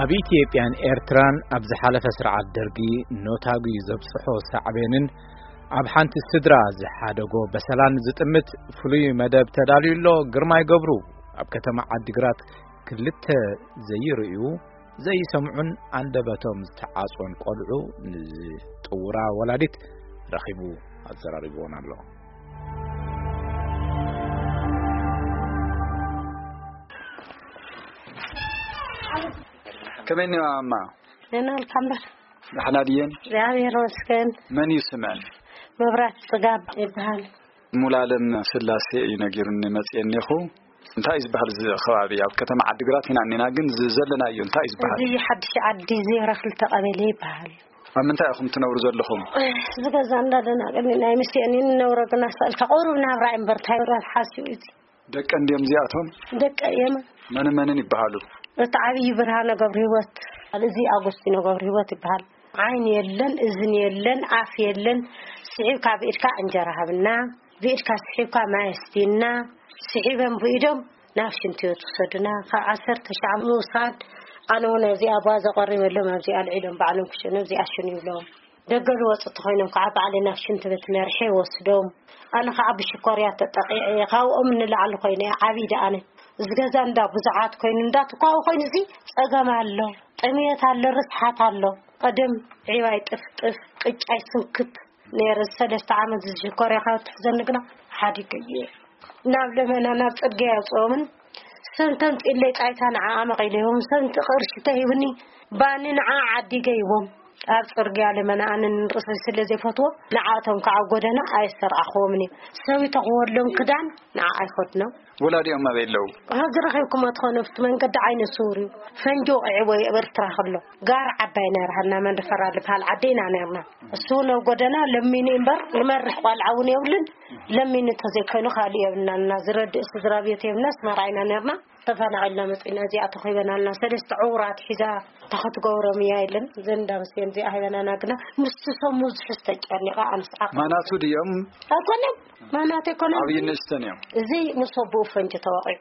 ኣብ ኢትዮጵያን ኤርትራን ኣብ ዝሓለፈ ስርዓት ደርጊ ኖታጉ ዘብጽሖ ሳዕቤንን ኣብ ሓንቲ ስድራ ዝሓደጎ በሰላን ዝጥምት ፍሉይ መደብ ተዳልዩ ኣሎ። ግርማይ ገብሩ ኣብ ከተማ ዓዲግራት ክልተ ዘይርእዩ ዘይሰምዑን ኣንደበቶም ዝተዓጽወን ቆልዑ ንዝጥውራ ወላዲት ረኺቡ ኣዘራሪብዎን ኣሎ። ከመይ እኒዋ እማ? ደህና ኣልካ እምበር? ደሕና ድየን? እግዚኣብሔር ይመስገን። መን እዩ ስመን? መብራት ጽጋብ ይበሃል። ሙሉኣለም ስላሴ እዩ ነጊሩኒ መጽየ እኒኹ። እንታይ እዩ ዝበሃል እዚ ከባቢ? ኣብ ከተማ ዓዲግራት ኢና እኒና፣ ግን እዚ ዘለናዮ እንታይ እዩ ዝበሃል? እዚ ሓድሽ ዓዲ ዜሮ ክልተ ቀበሌ ይበሃል። ኣብ ምንታይ ኢኹም ትነብሩ ዘለኹም? እዚ ገዛ እንዳደናቀኒ ናይ ምስኤን እንነብሮ ግና ስእልካ ቁሩብ ናብራ እምበር እንታይ መብራት ሓስዩ እዩ። ደቀን ድዮም እዚኣቶም? ደቀ እዮም። መንን መንን ይበሃሉ? እቲ ዓብዪ ብርሃነ ገብረ ህይወት፣ እዚ ኣጎስቲኖ ገብረ ህይወት ይበሃል። ዓይኒ የለን፣ እዝኒ የለን፣ ኣፍ የለን። ስሒብካ ብኢድካ እንጀራ ሃብና፣ ብኢድካ ስሒብካ ማይ ኣስቲና፣ ስሒበን ብኢዶም ናብ ሽንቲ ቤት ውሰዱና። ካብ ዓሰርተ ሻዕ ምውሳድ፣ ኣነ እውን ኣብዚ ኣባ ዘቆሪበሎም ኣብዚ ኣልዒሎም ባዕሎም ክሸኑ ኣብዚ ኣሽኑ ይብሎም። ደገ ዝወፁ እንተኾይኖም ከዓ ባዕለይ ናብ ሽንቲ ቤት መርሐ ይወስዶም። ኣነ ከዓ ብሽኮርያ ተጠቂዐ እየ። ካብኦም ንላዕሊ ኮይነ እየ ዓብዪ ደኣነ። እዚ ገዛ እንዳ ብዙሓት ኮይኑ፣ እንዳ ትኳዊ ኮይኑ፣ እዚ ጸገም ኣሎ፣ ጥምየት ኣሎ፣ ርስሓት ኣሎ። ቀደም ዒባይ ጥፍጥፍ፣ ቅጫይ ስንክት ነይረ። ሰለስተ ዓመት እዚ ሽኮርያ ካብ ትሕዘኒ ግና ሓዲገ እየ። ናብ ለመና፣ ናብ ጽርግያ የውፅኦምን፣ ሰንተን ፂለይ ጣይታ ንዓ ኣመቒለ ይቦም፣ ሰንቲ ቅርሺ ተሂብኒ፣ ባኒ ንዓ ዓዲገ ይቦም። ኣብ ጽርግያ ለመና ኣነ ንርእሰይ ስለ ዘይፈትዎ፣ ንዓቶም ከዓ ኣብ ጎደና ኣየሰርዓኽዎምን እየ። ሰዊተ ክወሎም ክዳን ንዓ ኣይኸድኖም። ወላዲኦም ኣበይ ኣለዉ? ሕዚ ረኺብኩሞ ትኾኑ፣ ኣብቲ መንገዲ ዓይነ ስውር እዩ። ፈንጂ ወቒዕዎ እዩ ኣብ ኤርትራ ከሎ። ጋር ዓባይ ነይራ፣ ሃና መንደፈራ ዝበሃል ዓዲ ኢና ነይርና። እሱ ናብ ጎደና ለሚኑ እምበር፣ ንመርሕ ቆልዓ እውን የብሉን። ለሚኑ እንተዘይኮይኑ ካልእ የብልናን እና ዝረድእ ስድራ ቤት የብልና፣ ኣስመራ ኢና ነይርና። ተፈናቒልና መፂና፣ እዚኣ ተኺበናልና። ሰለስተ ዕውራት ሒዛ ተኸትገብሮም እያ የለን። ዘንዳ ምስየን እዚኣ ሂበናና ግና ምስቲ ሰሙ ዝሕዝ ተጨኒቓ ኣንስዓ። ማናቱ ድዮም? ኣይኮነን፣ ማናት ኣይኮነን። ዓብዪ ንእሽተን እዮም። እዚ ምስ ኣቦኡ ፈንጂ ተወቒዑ።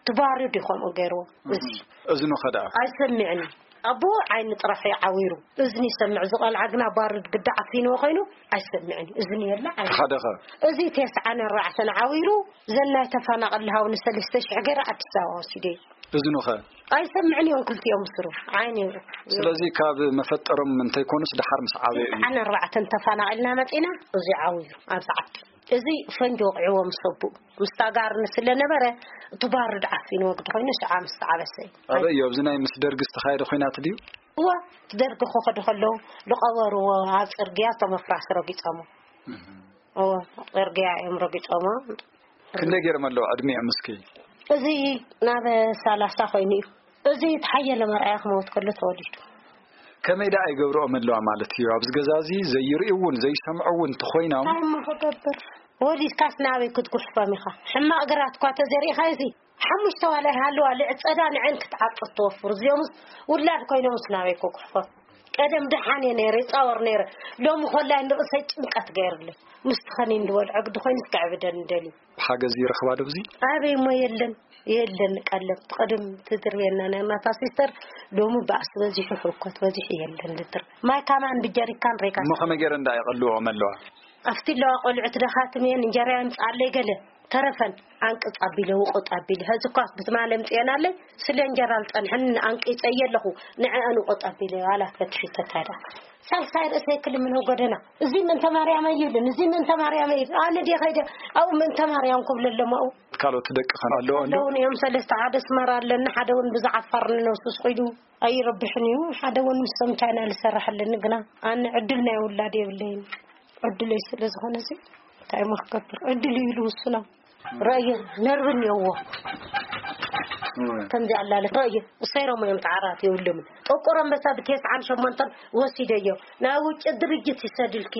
ትባርድ እዩ ከምኡ ገይርዎ። እዚ እዝኑ ኸ ደኣ? ኣይሰምዕን እዩ። ኣቦኡ ዓይኒ ጥራሕ እዩ ዓዊሩ። እዝኒ ይሰምዕ። እዚ ቆልዓ ግና ባርድ ግዳ ዓፊንዎ ኮይኑ ኣይሰምዕን እዩ። እዝኒ የለ ዓይኒ። ሓደ ኸ? እዚ ተስዓን ኣርባዕተን ዓዊሩ፣ ዘን ናይ ተፈናቐል ሃው ንሰለስተ ሽሕ ገይረ ኣዲስ ኣበባ ወሲደ እዩ። እዝኑ ኸ? ኣይሰምዕን እዮም ክልቲኦም ስሩ። ዓይኒ እዩ። ስለዚ ካብ መፈጠሮም እንተይኮኑስ ደሓር ምስ ዓበዩ እዩ። ተስዓን ኣርባዕተን ተፈናቒልና መፂና፣ እዚ ዓዊሩ ኣብዚ ዓዲ። እዚ ፈንጂ ወቂዕዎ ምስ ኣቦኡ። ምስታ ጋር ስለ ነበረ፣ እቲ ባርድ ዓፊንዎ ግዲ ኮይኑ ሽዓ ምስ ተዓበሰ እዩ። ኣበይ እዩ? ኣብዚ ናይ ምስ ደርጊ ዝተኻየደ ኹናት ድዩ? እወ፣ እቲ ደርጊ ክኸዱ ከለዉ ዝቐበርዎ ኣብ ጽርግያ እቶም ኣፍራስ ረጊጾሞ። እህ። እወ፣ ጽርግያ እዮም ረጊጾሞ። ክንደይ ገይሮም ኣለዉ ዕድሚኦም እስኪ? እዚ ናብ ሰላሳ ኮይኑ እዩ። እዚ ተሓየለ መርኣያ ክመውት ከሎ ተወሊዱ። ከመይ ደኣ ይገብርኦም ኣለዋ ማለት እዩ? ኣብዚ ገዛ እዚ ዘይርእዩ እውን ዘይሰምዑ እውን እንተኾይኖም እንታይ እሞ ክገብር? ወሊድካስ ናበይ ክትጉሕፎም ኢኻ? ሕማቕ ግራት እኳ ተዘሪእኻ እዚ ሓሙሽተ ዋላ ይሃልዋ ልዕጸዳ ንዐን ክትዓጽድ ትወፍር። እዚኦምስ ውላድ ኮይኖምስ ናበይ ክጉሕፎም? ቀደም ደሓን እየ ነይረ፣ ይጻወር ነይረ። ሎሚ ኮላይ ንርእሰይ ጭንቀት ገይርለይ። ምስቲ ኸኒን ዝበልዖ ግዲ ኮይኑስ ከዕብደኒ ደልዩ። ሓገዝ ይረኽባ ዶ ኣብዚ? ኣበይ እሞ የለን፣ የለን ቀለብ። ቅድም ትድርብየና ነርና እታ ሲስተር፣ ሎሚ ባእሲ በዚሑ፣ ህውከት በዚሑ፣ የለን ልድር። ማይ ካማን ብጀሪካን ሬጋ። እሞ ከመይ ገይረን ደኣ የቐልዎም ኣለዋ? ኣብቲ ኣለዋ ቆልዑት ደኻትም እየን፣ እንጀራ የምጽኣለይ ገለ ተረፈን፣ ኣንቅጽ ኣቢለ፣ ውቑጥ ኣቢለ። ሕዚ እኳስ ብትማሊ ኣምጽኤናለይ፣ ስለ እንጀራ ዝጸንሐኒ ኣንቂጸ እየ ኣለኹ፣ ንዕአን ውቑጥ ኣቢለ፣ ዋላ ፈትሒ ተታዳ። ሳልሳይ ርእሰይ ክልምኖ ጎደና። እዚ ምእንተ ማርያም ኣይብልን፣ እዚ ምእንተ ማርያም ኣይብልን። ኣነ ድየ ኸይደ ኣብኡ ምእንተ ማርያም ክብለሎም ኣብኡ? ካልኦት ደቂ ኸን ኣለዎ እንዶ? ኣለውን እዮም። ሰለስተ፣ ሓደ ኣስመራ ኣለኒ፣ ሓደ እውን ብዛዕባ ዓፋር ንነብሱ ስኺዱ ኣይረብሕን እዩ። ሓደ እውን ምስቶም ቻይና ልሰርሕ ኣለኒ፣ ግና ኣነ ዕድል ናይ ውላድ የብለይን። ዕድለይ ስለ ዝኾነ እዚ እንታይ እሞ ክገብር? ዕድል እዩ ኢሉ ውሱና። ረእየ ነርቭ እኒኦዎ። እወ። ከምዚ ኣላለ ረእየ እሰይሮም እዮም ተዓራት የብሎምን። ጥቁር ኣንበሳ ብተስዓን ሸሞንተን ወሲደዮ። ናብ ውጭ ድርጅት ይሰድልኪ፣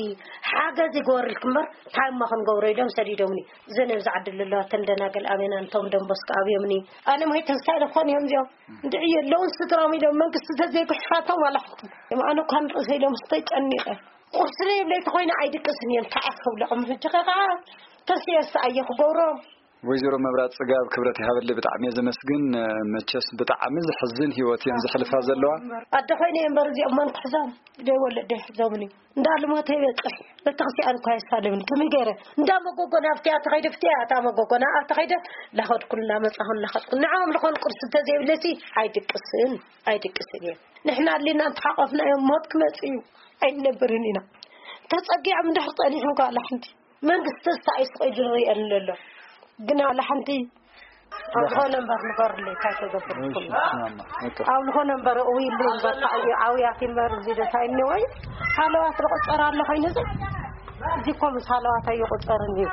ሓገዝ ይግበርልኪ እምበር እንታይ እሞ ክንገብሮ ኢሎም ሰዲዶምኒ። እዘን ኣብዚ ዓዲ ዘለዋ እተን ደናግል ኣሜናን እቶም ደንቦስኮ ኣብዮምኒ። ኣነ ሞይተ እንታይ ኢለ ክኾን እዮም እዚኦም? እንድዒ የለውን ስድራም ኢሎም መንግስቲ ተዘይጉሕፋቶም ዋላ ሓንቲ። ኣነ እኳ ንርእሰይ ኢሎም ተጨኒቐ። ቁርሲ ዘይብለይ ተኾይነ ኣይድቅስን እየ። እንታይ እየ ክብለዖም? ሕጂ ኸ ከዓ ተስየስ ኣየ ክገብሮም? ወይዘሮ መብራት ጽጋብ ክብረት ይሃበለይ፣ ብጣዕሚ እየ ዘመስግን። መቸስ ብጣዕሚ ዘሕዝን ህይወት እየን ዘሕልፋ ዘለዋ። ኣደ ኮይነ እየ እምበር እዚኦም መን ክሕዞም? ደይ ወለደ ይሕዞምኒ። እንዳልሞተ ይበጽሕ። ቤተክርስትያን እኳ የሳልምኒ። ከመይ ገይረ? እንዳመጎጎ ናብቲ ኣተኸይደ ፍትያ ኣታ መጎጎና ኣተኸይደ ላኸድኩን እንዳመጻኹን ላኸድኩን። ንዕኦም ልኾን ቁርሲ እንተዘይብለሲ ኣይድቅስን፣ ኣይድቅስን እየ። ንሕና ኣሊና እንተሓቆፍና እዮም ሞት ክመጽእ እዩ። ኣይንነብርን ኢና። ተጸጊዖም እንድሕር ጸኒሖም ከኣላ ሓንቲ መንግስቲ ተስፋ እዩ ስቕ ኢሉ ዝርእየን ዘሎ። ግን ኣላ ሓንቲ ኣብ ዝኾነ እምበር ንገርለይ እንታይ ተገብርኩም? ኣብ ዝኾነ እምበር እውይሉ እምበር ታዩ ኣውያት እምበር እዚ ደታ እኒወይ ሃለዋት ዝቆጸር ኣሎ ኮይኑ እዚ እዚ እኮ ምስ ሃለዋት ኣይቆጸርን እዩ።